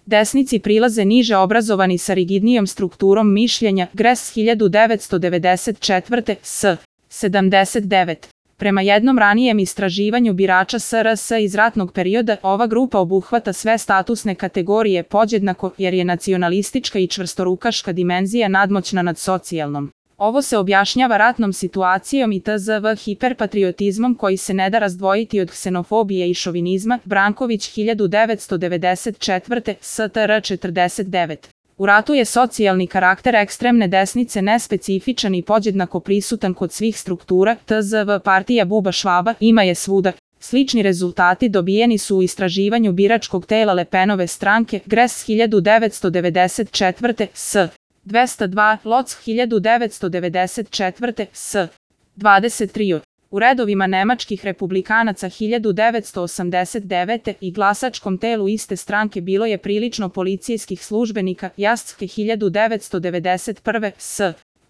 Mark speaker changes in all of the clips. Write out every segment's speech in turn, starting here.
Speaker 1: Desnici prilaze niže obrazovani sa rigidnijom strukturom mišljenja, Gres 1994. s. 79. Prema jednom ranijem istraživanju birača SRS iz ratnog perioda, ova grupa obuhvata sve statusne kategorije podjednako jer je nacionalistička i čvrstorukaška dimenzija nadmoćna nad socijalnom. Ovo se objašnjava ratnom situacijom i tzv. Hiperpatriotizmom koji se ne da razdvojiti od ksenofobije i šovinizma, Branković 1994. STR 49. U ratu je socijalni karakter ekstremne desnice nespecifičan i podjednako prisutan kod svih struktura, tzv. partija Buba Švaba ima je svuda. Slični rezultati dobijeni su u istraživanju biračkog tela Le Penove stranke, Gres 1994. s. 202, Loc 1994. s. 23. U redovima nemačkih republikanaca 1989. i glasačkom telu iste stranke bilo je prilično policijskih službenika, Jascke 1991. s.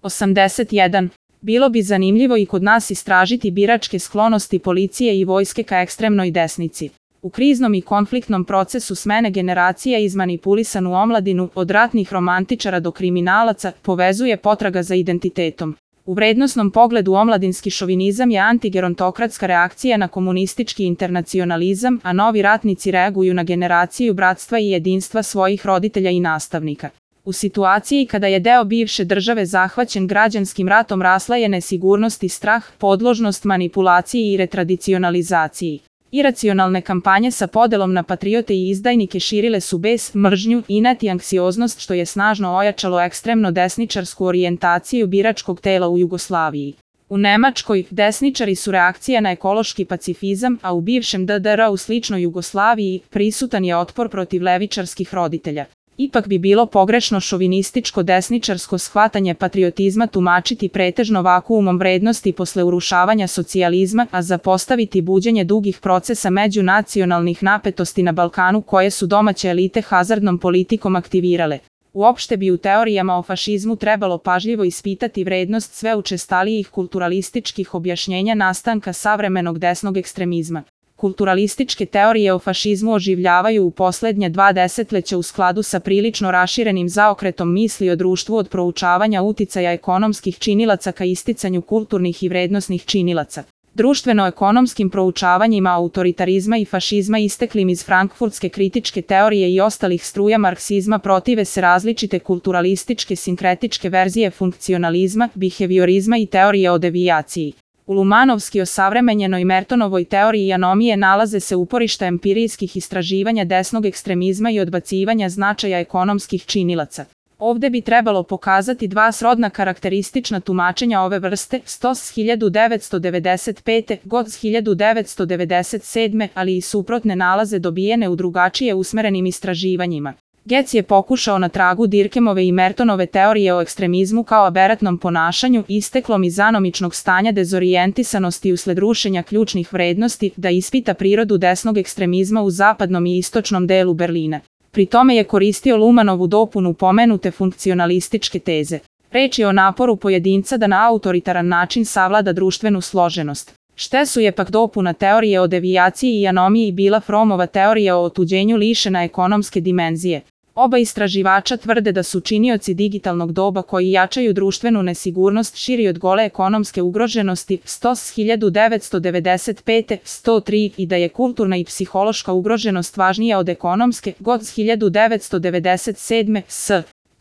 Speaker 1: 81. Bilo bi zanimljivo i kod nas istražiti biračke sklonosti policije i vojske ka ekstremnoj desnici. U kriznom i konfliktnom procesu smene generacija izmanipulisanu omladinu, od ratnih romantičara do kriminalaca, povezuje potraga za identitetom. U vrednosnom pogledu omladinski šovinizam je antigerontokratska reakcija na komunistički internacionalizam, a novi ratnici reaguju na generaciju bratstva i jedinstva svojih roditelja i nastavnika. U situaciji kada je deo bivše države zahvaćen građanskim ratom rasla je nesigurnost i strah, podložnost manipulaciji i retradicionalizaciji. Iracionalne kampanje sa podelom na patriote i izdajnike širile su bes, mržnju, inat i anksioznost što je snažno ojačalo ekstremno desničarsku orijentaciju biračkog tela u Jugoslaviji. U Nemačkoj, desničari su reakcija na ekološki pacifizam, a u bivšem DDR u sličnoj Jugoslaviji prisutan je otpor protiv levičarskih roditelja. Ipak bi bilo pogrešno šovinističko desničarsko shvatanje patriotizma tumačiti pretežno vakuumom vrednosti posle urušavanja socijalizma, a zapostaviti buđenje dugih procesa međunacionalnih napetosti na Balkanu koje su domaće elite hazardnom politikom aktivirale. Uopšte bi u teorijama o fašizmu trebalo pažljivo ispitati vrednost sve učestalijih kulturalističkih objašnjenja nastanka savremenog desnog ekstremizma. Kulturalističke teorije o fašizmu oživljavaju u poslednje 2 desetleća u skladu sa prilično raširenim zaokretom misli o društvu od proučavanja uticaja ekonomskih činilaca ka isticanju kulturnih i vrednosnih činilaca. Društveno-ekonomskim proučavanjima autoritarizma i fašizma isteklim iz frankfurtske kritičke teorije i ostalih struja marksizma protive se različite kulturalističke sinkretičke verzije funkcionalizma, biheviorizma i teorije o devijaciji. U Lumanovski osavremenjenoj Mertonovoj teoriji anomije nalaze se uporišta empirijskih istraživanja desnog ekstremizma i odbacivanja značaja ekonomskih činilaca. Ovde bi trebalo pokazati 2 srodna karakteristična tumačenja ove vrste, Stos 1995. Goc 1997. ali i suprotne nalaze dobijene u drugačije usmerenim istraživanjima. Getz je pokušao na tragu Dirkemove i Mertonove teorije o ekstremizmu kao aberatnom ponašanju, isteklom iz anomičnog stanja dezorijentisanosti usled rušenja ključnih vrednosti, da ispita prirodu desnog ekstremizma u zapadnom i istočnom delu Berlina. Pri tome je koristio Lumanovu dopunu pomenute funkcionalističke teze. Reč je o naporu pojedinca da na autoritaran način savlada društvenu složenost. Štesu je pak dopuna teorije o devijaciji i anomiji bila Fromova teorija o otuđenju lišena ekonomske dimenzije. Oba istraživača tvrde da su činioci digitalnog doba koji jačaju društvenu nesigurnost širi od gole ekonomske ugroženosti, Stos 1995. 103 i da je kulturna i psihološka ugroženost važnija od ekonomske, Goc 1997. s.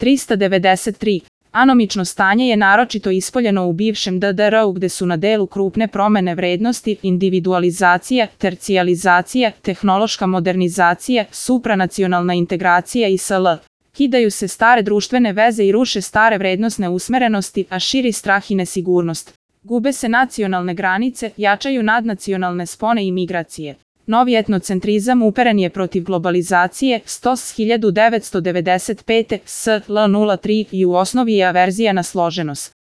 Speaker 1: 393. Anomično stanje je naročito ispoljeno u bivšem DDR-u gde su na delu krupne promene vrednosti, individualizacija, tercijalizacija, tehnološka modernizacija, supranacionalna integracija i sl. Kidaju se stare društvene veze i ruše stare vrednosne usmerenosti, a širi strah i nesigurnost. Gube se nacionalne granice, jačaju nadnacionalne spone i migracije. Novi etnocentrizam uperen je protiv globalizacije, Stos 1995. s. L03 i u osnovi je averzija na složenost.